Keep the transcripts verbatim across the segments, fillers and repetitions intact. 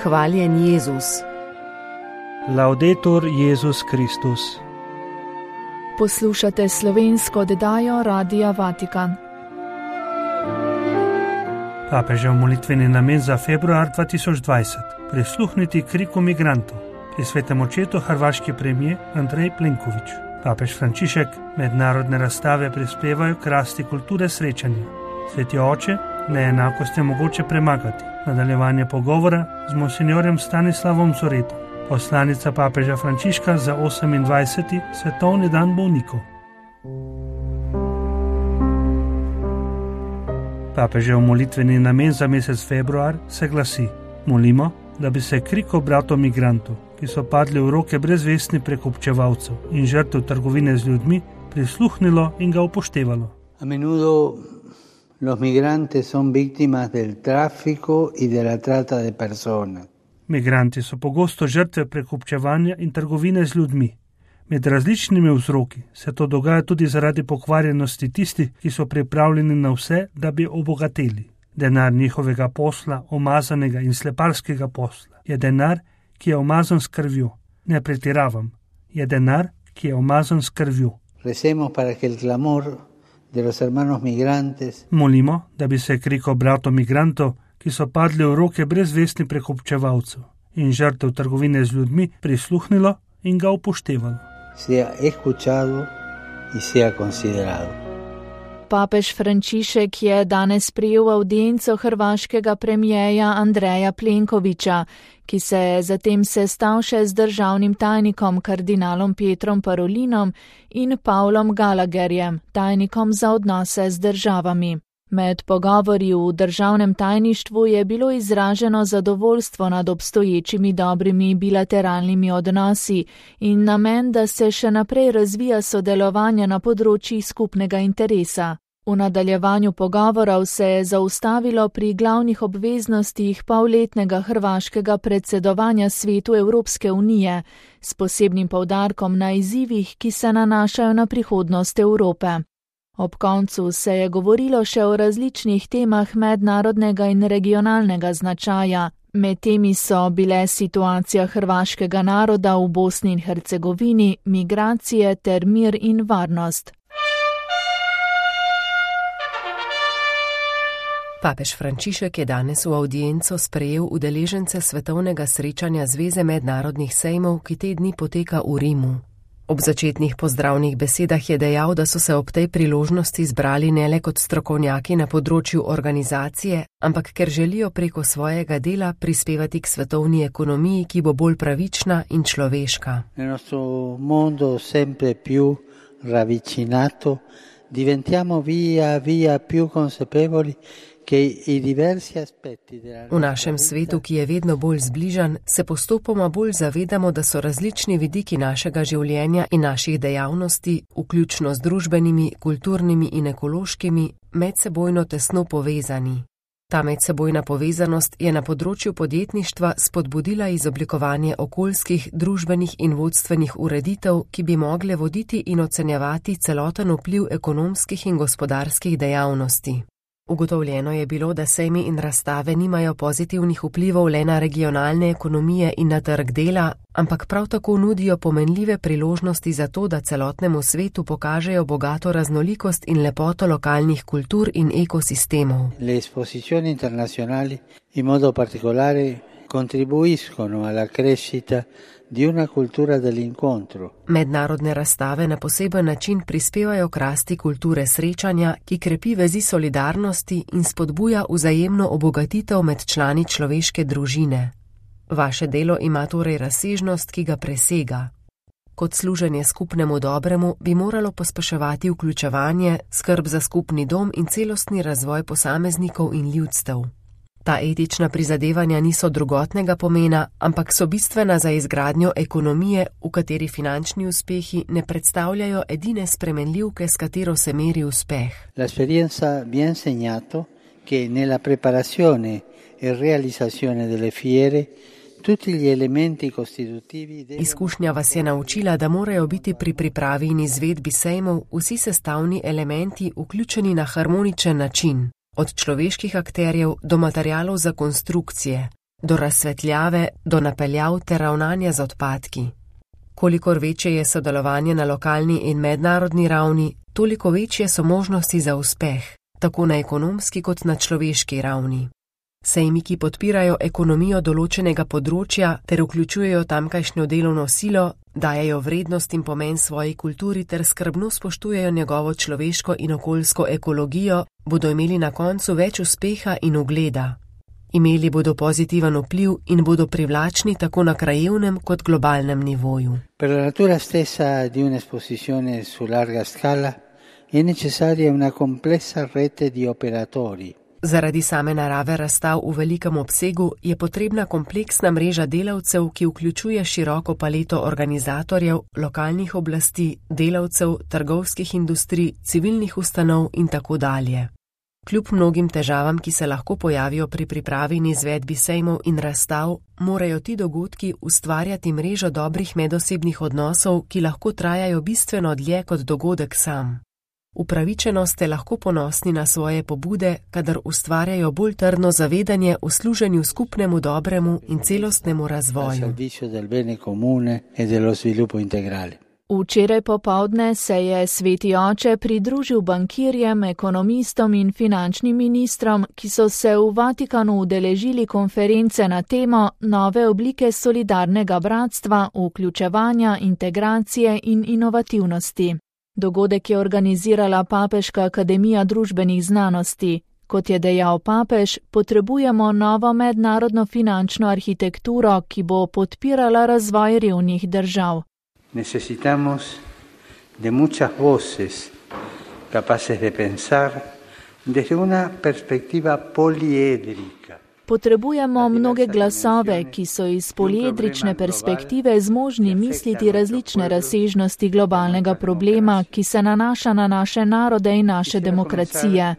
Hvaljen Jezus. Laudetur Jezus Kristus. Poslušate slovensko oddajo Radia Vatikan. Papežev molitveni namen za februar dva tisoč dvajset. Prisluhniti kriku migrantov. Pri svetem očetu hrvaški premijer Andrej Plenković. Papež Frančišek, mednarodne razstave prispevajo k rasti kulture srečanja. Sveti oče, neenakost je mogoče premagati. Nadaljevanje pogovora z monsinjorjem Stanislavom Zoretom, poslanica papeža Frančiška za osemindvajseti svetovni dan bolnikov. Papežev molitveni namen za mesec februar se glasi: molimo, da bi se kriko bratov migrantov, ki so padli v roke brezvestnih prekupčevalcev in žrtev trgovine z ljudmi, prisluhnilo in ga upoštevalo. A menudo los migrantes son víctimas del tráfico y de la trata de personas. Migranti so pogosto žrtve prekupčevanja in trgovine z ljudmi. Med različnimi vzroki se to dogaja tudi zaradi pokvarjenosti tistih, ki so pripravljeni na vse, da bi obogateli. Denar njihovega posla, omazanega in sleparskega posla, je denar, ki je omazan s krvjo. Ne pretiravam, je denar, ki je omazan s krvjo. Recemos para que el clamor de los hermanos migrantes. Molimo, da bi se kriko bratov migrantov, ki so padli v roke brezvestnih prekupčevalcev in žrtev trgovine z ljudmi, prisluhnilo in ga upoštevalo. Sea escuchado y sea considerado. Papež Frančišek je danes prijel avdienco hrvaškega premijeja Andreja Plenkovića, ki se je zatem sestal še z državnim tajnikom kardinalom Petrom Parolinom in Pavlom Gallagherjem, tajnikom za odnose z državami. Med pogovori v državnem tajništvu je bilo izraženo zadovoljstvo nad obstoječimi dobrimi bilateralnimi odnosi in namen, da se še naprej razvija sodelovanje na področjih skupnega interesa. V nadaljevanju pogovorov se je zaustavilo pri glavnih obveznostih polletnega hrvaškega predsedovanja Svetu Evropske unije, s posebnim poudarkom na izzivih, ki se nanašajo na prihodnost Evrope. Ob koncu se je govorilo še o različnih temah mednarodnega in regionalnega značaja. Med temi so bile situacija hrvaškega naroda v Bosni in Hercegovini, migracije ter mir in varnost. Papež Frančišek je danes v avdienco sprejel udeležence svetovnega srečanja Zveze mednarodnih sejmov, ki te dni poteka v Rimu. Ob začetnih pozdravnih besedah je dejal, da so se ob tej priložnosti zbrali ne le kot strokovnjaki na področju organizacije, ampak ker želijo preko svojega dela prispevati k svetovni ekonomiji, ki bo bolj pravična in človeška. Nel nostro mondo sempre più ravvicinato diventiamo via via più consapevoli. V našem svetu, ki je vedno bolj zbližan, se postopoma bolj zavedamo, da so različni vidiki našega življenja in naših dejavnosti, vključno z družbenimi, kulturnimi in ekološkimi, medsebojno tesno povezani. Ta medsebojna povezanost je na področju podjetništva spodbudila izoblikovanje okoljskih, družbenih in vodstvenih ureditev, ki bi mogle voditi in ocenjevati celoten vpliv ekonomskih in gospodarskih dejavnosti. Ugotovljeno je bilo, da sejmi in razstave nimajo pozitivnih vplivov le na regionalne ekonomije in na trg dela, ampak prav tako nudijo pomenljive priložnosti za to, da celotnemu svetu pokažejo bogato raznolikost in lepoto lokalnih kultur in ekosistemov. Le esposizioni internazionali in modo particolare contribuiscono alla crescita di una cultura dell'incontro. Mednarodne razstave na poseben način prispevajo k rasti kulture srečanja, ki krepi vezi solidarnosti in spodbuja vzajemno obogatitev med člani človeške družine. Vaše delo ima torej razsežnost, ki ga presega. Kot služenje skupnemu dobremu bi moralo pospeševati vključevanje, skrb za skupni dom in celostni razvoj posameznikov in ljudstev. Ta etična prizadevanja niso drugotnega pomena, ampak so bistvena za izgradnjo ekonomije, v kateri finančni uspehi ne predstavljajo edine spremenljivke, s katero se meri uspeh. L'esperienza vi ha insegnato che nella preparazione e realizzazione delle fiere tutti gli elementi costitutivi. Izkušnja vas je naučila, da morajo biti pri pripravi in izvedbi sejmov vsi sestavni elementi vključeni na harmoničen način. Od človeških akterjev do materialov za konstrukcije, do razsvetljave, do napeljav ter ravnanja z odpadki. Kolikor večje je sodelovanje na lokalni in mednarodni ravni, toliko večje so možnosti za uspeh, tako na ekonomski kot na človeški ravni. Sejmi, ki podpirajo ekonomijo določenega področja ter vključujejo tamkajšnjo delovno silo, dajejo vrednost in pomen svoji kulturi ter skrbno spoštujejo njegovo človeško in okoljsko ekologijo, bodo imeli na koncu več uspeha in ugleda. Imeli bodo pozitiven vpliv in bodo privlačni tako na krajevnem kot globalnem nivoju. Per la natura stessa di un'esposizione su larga scala è necessaria una complessa rete di operatori. Zaradi same narave razstav v velikem obsegu je potrebna kompleksna mreža delavcev, ki vključuje široko paleto organizatorjev, lokalnih oblasti, delavcev, trgovskih industrij, civilnih ustanov in tako dalje. Kljub mnogim težavam, ki se lahko pojavijo pri pripravi in izvedbi sejmov in razstav, morajo ti dogodki ustvarjati mrežo dobrih medosebnih odnosov, ki lahko trajajo bistveno dlje kot dogodek sam. Upravičeno ste lahko ponosni na svoje pobude, kadar ustvarjajo bolj trdno zavedanje o služenju skupnemu dobremu in celostnemu razvoju. Včeraj popoldne se je Sveti oče pridružil bankirjem, ekonomistom in finančnim ministrom, ki so se v Vatikanu udeležili konference na temo nove oblike solidarnega bratstva, vključevanja, integracije in inovativnosti. Dogodek je organizirala Papeška akademija družbenih znanosti. Kot je dejal papež, potrebujemo novo mednarodno finančno arhitekturo, ki bo podpirala razvoj revnih držav. Necesitamos de muchas voces capaces de pensar desde una perspectiva poliedrica. Potrebujemo mnoge glasove, ki so iz poliedrične perspektive zmožni misliti različne razsežnosti globalnega problema, ki se nanaša na naše narode in naše demokracije,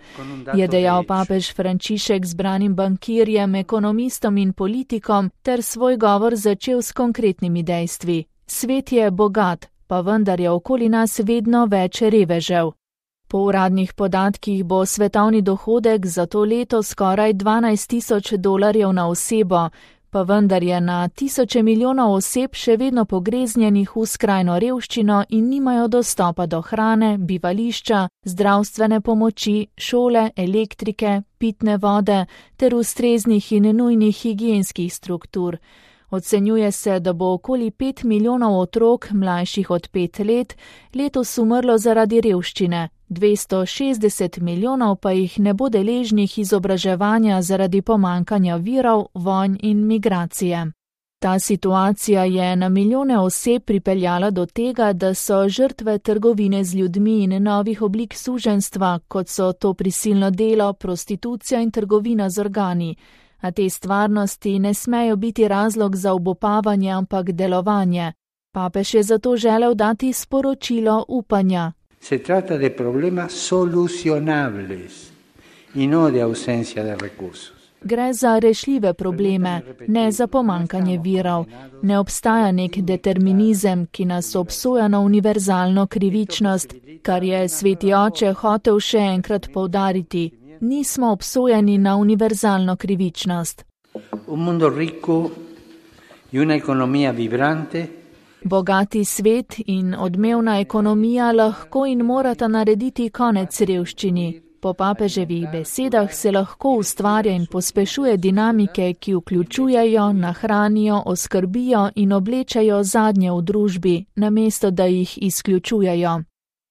je dejal papež Frančišek zbranim bankirjem, ekonomistom in politikom ter svoj govor začel s konkretnimi dejstvi. Svet je bogat, pa vendar je okoli nas vedno več revežev. Po uradnih podatkih bo svetovni dohodek za to leto skoraj dvanajst tisoč dolarjev na osebo, pa vendar je na tisoče milijonov oseb še vedno pogreznjenih v skrajno revščino in nimajo dostopa do hrane, bivališča, zdravstvene pomoči, šole, elektrike, pitne vode ter ustreznih in nujnih higienskih struktur. Ocenjuje se, da bo okoli pet milijonov otrok, mlajših od pet let, letos umrlo zaradi revščine, dvesto šestdeset milijonov pa jih ne bo deležnih izobraževanja zaradi pomankanja virov, vojn in migracije. Ta situacija je na milijone oseb pripeljala do tega, da so žrtve trgovine z ljudmi in novih oblik suženjstva, kot so to prisilno delo, prostitucija in trgovina z organi. A te stvarnosti ne smejo biti razlog za obupavanje, ampak delovanje. Papež je zato želel dati sporočilo upanja. Se trata de problemas solucionables in no de ausencia de recursos. Gre za rešljive probleme, ne za pomankanje virov. Ne obstaja nek determinizem, ki nas obsoja na univerzalno krivičnost, kar je Sveti oče hotel še enkrat poudariti. Nismo obsojeni na univerzalno krivičnost. Un mundo rico y una economía vibrante. Bogati svet in odmevna ekonomija lahko in morata narediti konec revščini. Po papeževih besedah se lahko ustvarja in pospešuje dinamike, ki vključujejo, nahranijo, oskrbijo in oblečajo zadnje v družbi, namesto da jih izključujejo.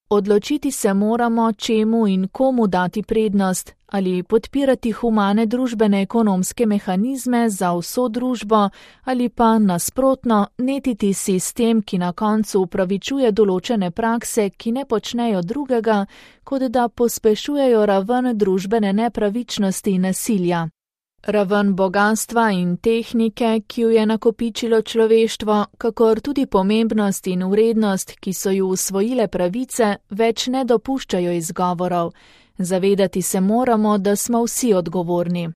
Odločiti se moramo, čemu in komu dati prednost, ali podpirati humane družbene ekonomske mehanizme za vso družbo, ali pa nasprotno netiti sistem, ki na koncu upravičuje določene prakse, ki ne počnejo drugega, kot da pospešujejo raven družbene nepravičnosti in nasilja. Raven bogatstva in tehnike, ki jo je nakopičilo človeštvo, kakor tudi pomembnost in vrednost, ki so ju usvojile pravice, več ne dopuščajo izgovorov. Zavedati se moramo, da smo vsi odgovorni.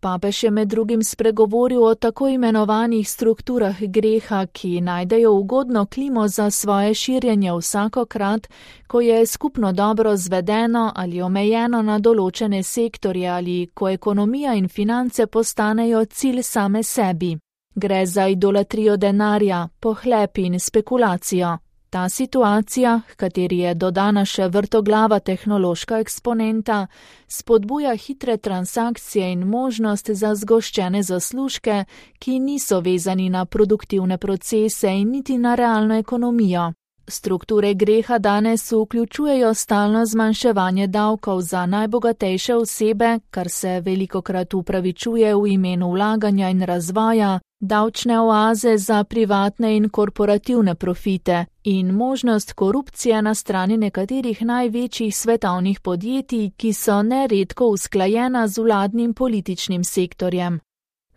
Papež je med drugim spregovoril o tako imenovanih strukturah greha, ki najdejo ugodno klimo za svoje širjenje vsakokrat, ko je skupno dobro zvedeno ali omejeno na določene sektorje ali ko ekonomija in finance postanejo cilj same sebi. Gre za idolatrijo denarja, pohlep in spekulacijo. Ta situacija, h kateri je dodana še vrtoglava tehnološka eksponenta, spodbuja hitre transakcije in možnost za zgoščene zaslužke, ki niso vezani na produktivne procese in niti na realno ekonomijo. Strukture greha danes vključujejo stalno zmanjševanje davkov za najbogatejše osebe, kar se velikokrat upravičuje v imenu vlaganja in razvoja, davčne oaze za privatne in korporativne profite in možnost korupcije na strani nekaterih največjih svetovnih podjetij, ki so neredko usklajena z vladnim političnim sektorjem.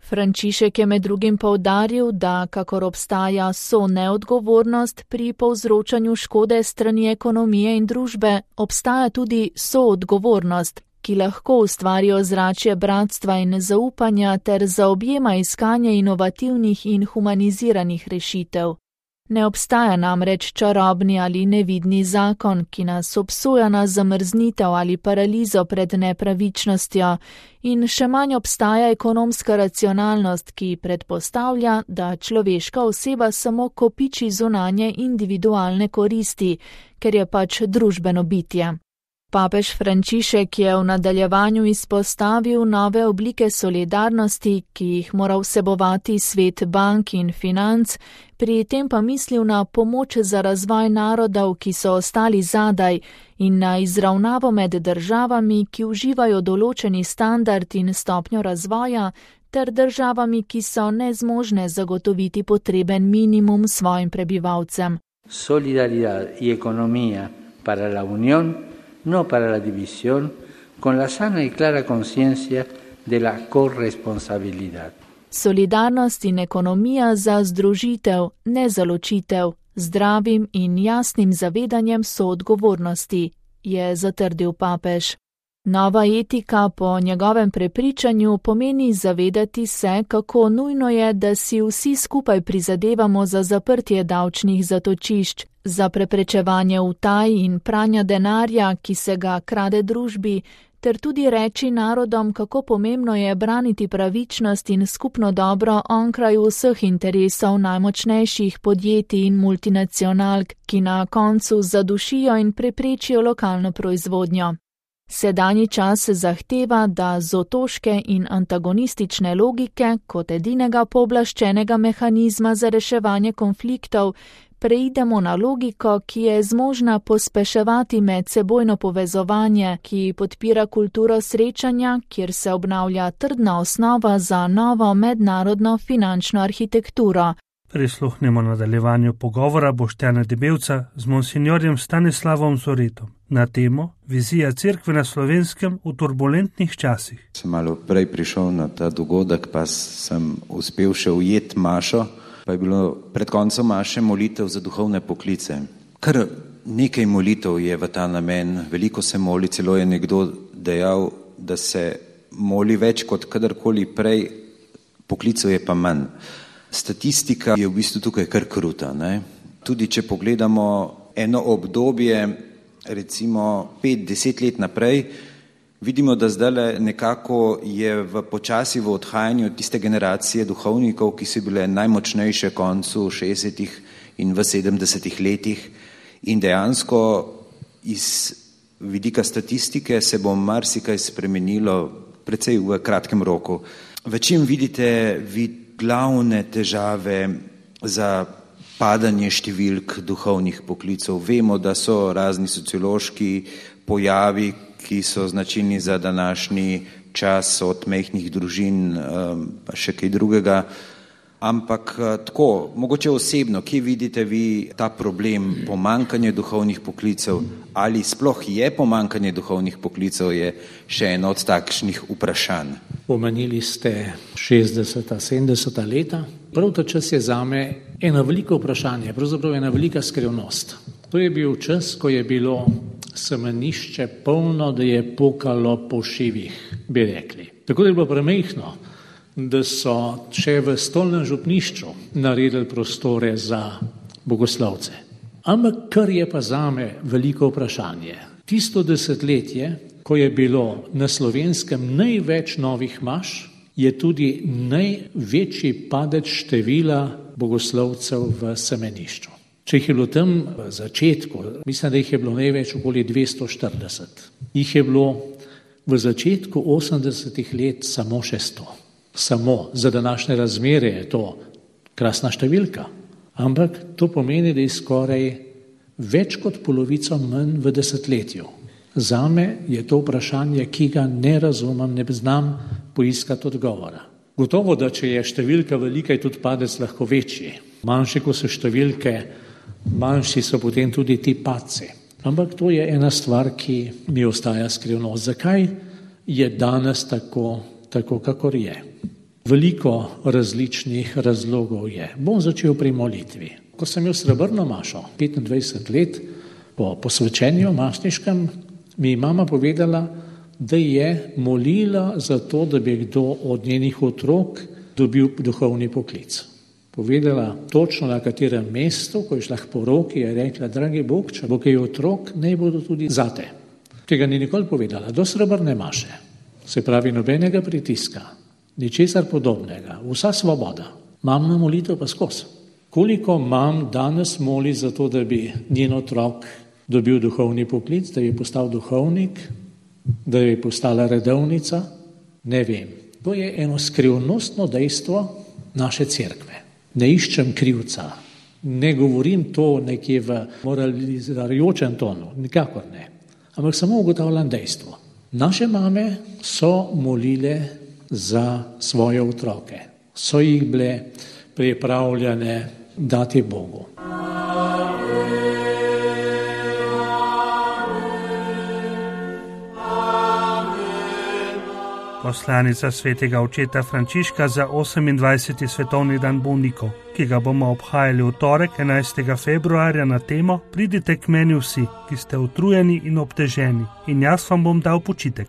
Frančišek je med drugim poudaril, da kakor obstaja so neodgovornost pri povzročanju škode strani ekonomije in družbe, obstaja tudi soodgovornost, ki lahko ustvari ozračje bratstva in zaupanja ter zaobjema iskanje inovativnih in humaniziranih rešitev. Ne obstaja namreč čarobni ali nevidni zakon, ki nas obsoja na zamrznitev ali paralizo pred nepravičnostjo, in še manj obstaja ekonomska racionalnost, ki predpostavlja, da človeška oseba samo kopiči zunanje individualne koristi, ker je pač družbeno bitje. Papež Frančišek je v nadaljevanju izpostavil nove oblike solidarnosti, ki jih mora vsebovati svet bank in financ, pri tem pa mislil na pomoč za razvoj narodov, ki so ostali zadaj, in na izravnavo med državami, ki uživajo določeni standard in stopnjo razvoja, ter državami, ki so nezmožne zagotoviti potreben minimum svojim prebivalcem. Solidaridad in ekonomija para la unión, no para la división, con la sana y clara conciencia de la corresponsabilidad. Solidarnost in ekonomija za združitev, ne za ločitev, zdravim in jasnim zavedanjem soodgovornosti, je zatrdil papež. Nova etika po njegovem prepričanju pomeni zavedati se, kako nujno je, da si vsi skupaj prizadevamo za zaprtje davčnih zatočišč, za preprečevanje utaj in pranja denarja, ki se ga krade družbi, ter tudi reči narodom, kako pomembno je braniti pravičnost in skupno dobro onkraj vseh interesov najmočnejših podjetij in multinacionalk, ki na koncu zadušijo in preprečijo lokalno proizvodnjo. Sedanji čas zahteva, da z otoške in antagonistične logike kot edinega pooblaščenega mehanizma za reševanje konfliktov preidemo na logiko, ki je zmožna pospeševati medsebojno povezovanje, ki podpira kulturo srečanja, kjer se obnavlja trdna osnova za novo mednarodno finančno arhitekturo. Prisluhnemo nadaljevanju pogovora Boštjana Debevca z monsinjorjem Stanislavom Zoretom na temo Vizija cerkve na Slovenskem v turbulentnih časih. Sem malo prej prišel na ta dogodek, pa sem uspel še ujeti mašo, pa je bilo pred koncem maše molitev za duhovne poklice. Kar nekaj molitev je v ta namen, veliko se moli, celo je nekdo dejal, da se moli več kot kadarkoli prej, poklicev je pa manj. Statistika je v bistvu tukaj kar kruta, ne? Tudi če pogledamo eno obdobje, recimo pet, deset let naprej, vidimo, da zdaj nekako je v počasi v odhajanju tiste generacije duhovnikov, ki so bile najmočnejše koncu šestdesetih in v sedemdesetih letih, in dejansko iz vidika statistike se bo marsikaj spremenilo precej v kratkem roku. V čem vidite vi glavne težave za padanje številk duhovnih poklicov? Vemo, da so razni sociološki pojavi, ki so značilni za današnji čas, od majhnih družin pa še kaj drugega. Ampak tako, mogoče osebno, kje vidite vi ta problem pomankanja duhovnih poklicev, ali sploh je pomankanje duhovnih poklicev, je še eno od takšnih vprašanj. Omenili ste šestdeseta, sedemdeseta leta. Prav ta čas je zame eno veliko vprašanje, pravzaprav ena velika skrivnost. To je bil čas, ko je bilo semenišče polno, da je pokalo po šivih, bi rekli. Tako da je bilo premehno, da so še v stolnem župnišču naredili prostore za bogoslovce. Ampak kar je pa zame veliko vprašanje. Tisto desetletje, ko je bilo na Slovenskem največ novih maš, je tudi največji padec števila bogoslovcev v semenišču. Če jih je bilo tam v začetku, mislim, da jih je bilo največ okoli dvesto štirideset. Jih je bilo v začetku osemdesetih let samo še sto. Samo za današnje razmere je to krasna številka. Ampak to pomeni, da je skoraj več kot polovico manj v desetletju. Zame je to vprašanje, ki ga ne razumem, ne znam poiskati odgovora. Gotovo, da če je številka velika, je tudi padec lahko večji. Manjši, ko so številke, manjši so potem tudi ti padci. Ampak to je ena stvar, ki mi ostaja skrivnost. Zakaj je danes tako, tako kakor je? Veliko različnih razlogov je. Bom začel pri molitvi. Ko sem imel srebrno mašo, petindvajset let, po posvečenju masniškem, mi je mama povedala, da je molila za to, da bi kdo od njenih otrok dobil duhovni poklic. Povedala točno na katerem mestu, ko je šla k poroki, je rekla, dragi Bog, če bo kaj otrok, naj bodo tudi zate. Tega ni nikoli povedala, do srebrne maše. Se pravi, nobenega pritiska, ničesar podobnega, vsa svoboda. Mamna molitev pa skozi. Koliko mam danes moli za to, da bi njen otrok dobil duhovni poklic, da bi postal duhovnik, da bi postala redovnica, ne vem. To je eno skrivnostno dejstvo naše cerkve. Ne iščem krivca, ne govorim to nekje v moralizirajočem tonu, nikakor ne. Ampak samo ugotavljam dejstvo. Naše mame so molile za svoje otroke, so jih bile pripravljene dati Bogu. Poslanica svetega očeta Frančiška za osemindvajseti svetovni dan bolnikov, ki ga bomo obhajali v torek enajstega februarja na temo Pridite k meni vsi, ki ste utrujeni in obteženi, in jaz vam bom dal počitek.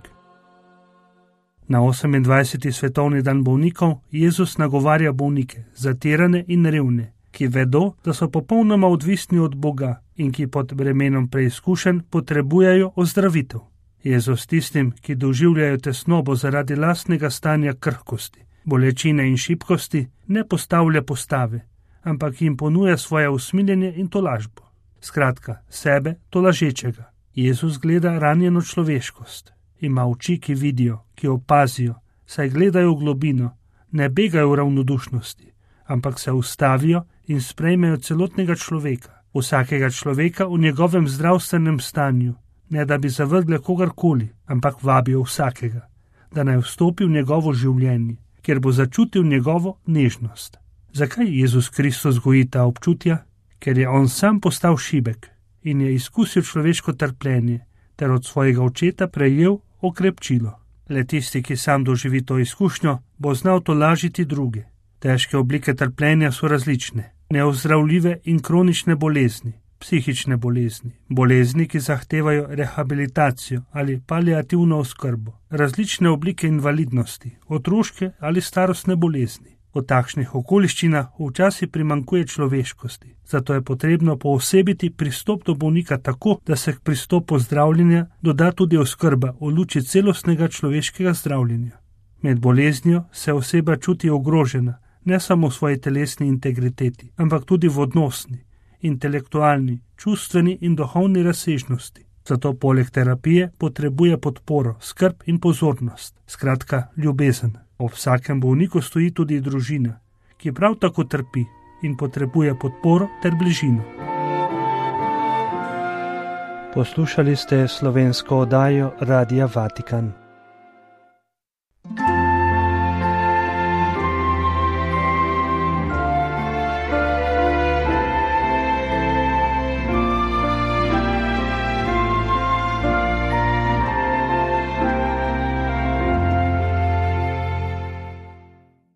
Na osemindvajseti svetovni dan bolnikov Jezus nagovarja bolnike, zatirane in revne, ki vedo, da so popolnoma odvisni od Boga in ki pod bremenom preizkušenj potrebujejo ozdravitev. Jezus tistim, ki doživljajo tesnobo zaradi lastnega stanja krhkosti, bolečine in šibkosti, ne postavlja postave, ampak jim ponuja svoje usmiljenje in tolažbo. Skratka, sebe tolažečega. Jezus gleda ranjeno človeškost. Ima oči, ki vidijo, ki opazijo, saj gledajo v globino, ne begajo v ravnodušnosti, ampak se ustavijo in sprejmejo celotnega človeka, vsakega človeka v njegovem zdravstvenem stanju, ne da bi zavrgle kogarkoli, ampak vabijo vsakega, da naj vstopi v njegovo življenje, kjer bo začutil njegovo nežnost. Zakaj Jezus Kristus goji ta občutja? Ker je on sam postal šibek in je izkusil človeško trpljenje, ter od svojega očeta prejel okrepčilo. Le tisti, ki sam doživi to izkušnjo, bo znal tolažiti druge. Težke oblike trpljenja so različne, neozdravljive in kronične bolezni, psihične bolezni, bolezni, ki zahtevajo rehabilitacijo ali paliativno oskrbo, različne oblike invalidnosti, otroške ali starostne bolezni. V takšnih okoliščinah včasih primanjkuje človeškosti, zato je potrebno poosebiti pristop do bolnika tako, da se k pristopu zdravljenja doda tudi oskrba v luči celostnega človeškega zdravljenja. Med boleznijo se oseba čuti ogrožena, ne samo v svoji telesni integriteti, ampak tudi v odnosni, intelektualni, čustveni in duhovni razsežnosti. Zato poleg terapije potrebuje podporo, skrb in pozornost, skratka ljubezen. Ob vsakem bolniku stoji tudi družina, ki prav tako trpi in potrebuje podporo ter bližino. Poslušali ste slovensko oddajo Radia Vatikan.